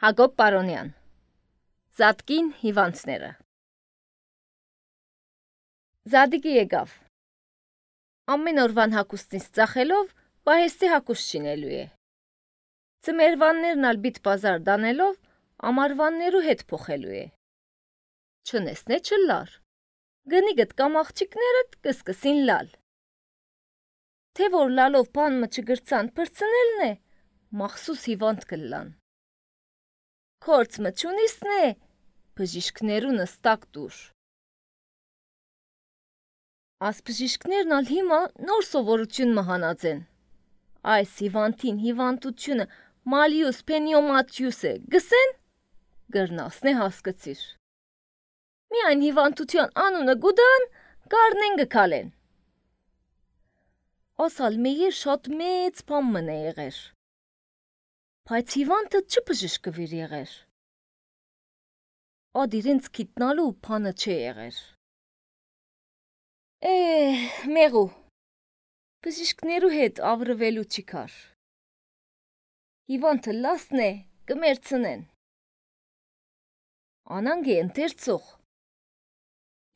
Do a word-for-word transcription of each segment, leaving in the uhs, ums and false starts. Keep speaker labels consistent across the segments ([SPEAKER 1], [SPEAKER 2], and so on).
[SPEAKER 1] Հակոբ Պարոնյան Զատկին հիվանդները Զադիկը եկավ Ամեն օրվան հակուստից ծախելով պահեստի հակուստ չինելու է Ձմերվաններն ալ բիտ պազար դանելով ամարվաններու հետ փոխելու է Չնեսնե չլար Գնիգդ կամ աղջիկներդ կսկսին լալ Թե որ լալով բանմը չգրցան պրծնելն է մախսուս հիվանդ կլան Քորձ մչունիսն է, բժիշկներու նստակ դուր։ Աս բժիշկներն ալ հիմա նոր սովորություն մահանած են։ Այս հիվանդին հիվանդությունը մալիուս պենիոմատիուս է, գսեն, գրնասն է հասկացիր։ Միայն հիվանդության անունը գուդան, կարնեն գկալեն։ Ասալ մեյեր շատ մեծ պամմն է եղեր։ Բայց հիվանդը չբժշկվիր եղեր։ Ադ իրենց գիտնալու բանը չէ եղեր։ Է, մեղու, բժիշկներու հետ ավրվելու չի կար։ Հիվանդը լասն է, կմերցնեն։ Անանգ է ընթերցող։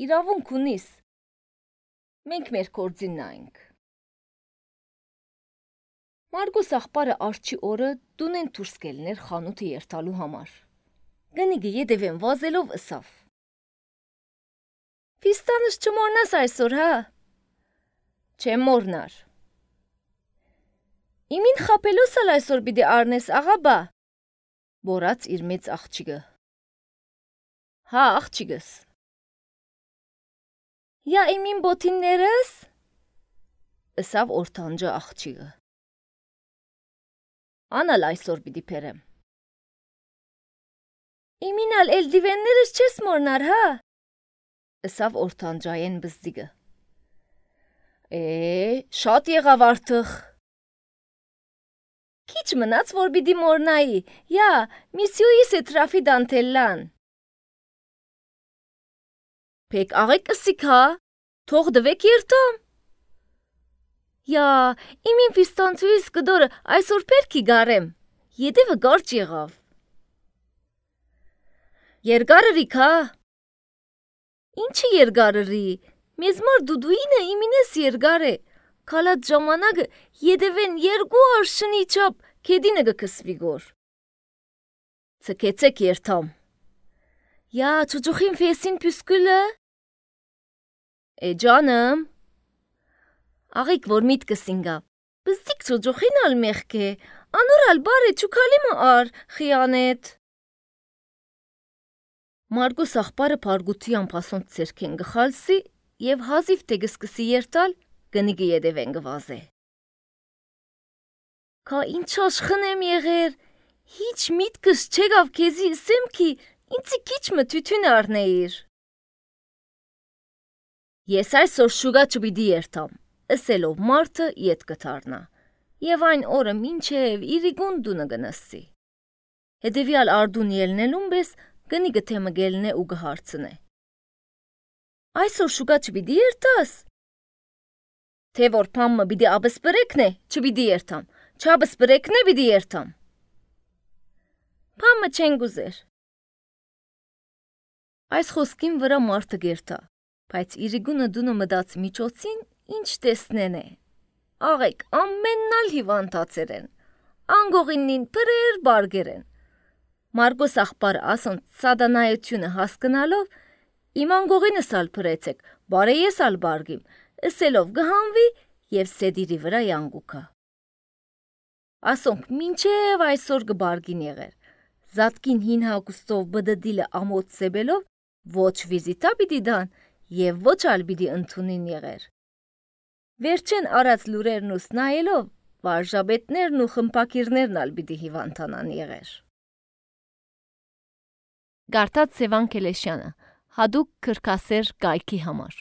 [SPEAKER 1] Իրավունք ունիս։ Մենք մեր կործին նայնք։ Մարգոս աղբարը արջի օրը դունեն դուրս կելներ խանութը երթալու համար։ Գնիգը ետևեն վազելով ըսավ։ Ֆիստանս չմորնաս այսօր, հա։ Չեմ մորնար։ Իմին խապելուս ալ այսօր բիդի արնես աղաբա, բորած իր մեծ աղջիկը։ Հա, աղջիկս։ Յա իմին բոտիններս, ըսավ օրտանջը աղջիկը։ Անալ այսօր պիտի պերեմ։ Իմինալ էլ դիվեններս չես մորնար, հա։ Ըսավ օրտանջայեն բզդիգը։ Է, շատ եղավ արդխ։ Քիչ մնաց, որ պիտի մորնայի, յա, միսյուիս է տրաֆի դանթելլան։ Պեք աղեք ըսիք, հա, թող դվեք երտամ։ Յա, իմին ֆիստանցուիս կդորը այսօր պերքի գարեմ, ետևը գարջ եղավ։ Երգարըրիք, հա։ Ինչը երգարըրի, մեզ մար դուդուինը իմինես երգար է, կալատ ժամանակը ետևեն երգու արշնի չապ կեդինը գկսվի գոր։ Ծկեցեք երթամ։ Յա, չուջուխին ֆեսին պյուսկուլը։ Է ջանım։ Աղիք որ միտքս ինգա, բզդիկ չոջոխին ալ մեղք է, անոր ալ բար է չուքալիմը ար, խիանետ։ Մարգոս աղբարը պարգութիան պասոնց ծերքեն գխալսի և հազիվ տեգսկսի երտալ գնիգը ետևեն գվազե։ Կա ինչ աշխն եմ եղեր, հիչ միտքս չեգավ կեզի սեմքի, ինցի քիչմը թյություն արնեիր։ Ես այսօր շուգա չպիտի երտամ, ըսելով մարդը ետ կթարնա, և այն օրը մինչև իրիգուն դունը գնասի։ Հետևյալ արդուն ելնելուն բես գնիգը թեմը գելն է ու գհարցն է։ Այսօր շուգա չպիտի երտաս։ Թե որ պամմը բիդի աբսպրեկն է, չպիտի երտամ, չաբսպրեկն է բիդի երտամ։ Պամմը չեն գուզեր։ Այս խոսքին վրա մարդը գերտա, բայց իրիգունը դունը մդաց միջոցին ինչ տեսնեն է։ Աղեք ամեննալ հիվանդացեր են, անգողինին պրեր բարգեր են։ Մարգոս աղբար ասոն սադանայությունը հասկնալով, իմ անգողինս ալ պրեցեք, բարե ես ալ բարգիմ, ըսելով գհանվի և սեդիրի վրա յանգուքա։ Ասոնք մինչև այսօր գբարգին եղեր, զատկին հին հագուստով բդդիլը ամոտ սեբելով, ոչ վիզիտա բիդի դան և ոչ ալ բիդի ընդունին եղեր։ Վերջեն արած լուրերն ու սնայելով, վարժաբետներն ու խմպակիրներն ալ բիդի հիվանդանան եղեր։ Գարտած Սևան Կելեշյանը, հադուկ կրկասեր կայքի համար։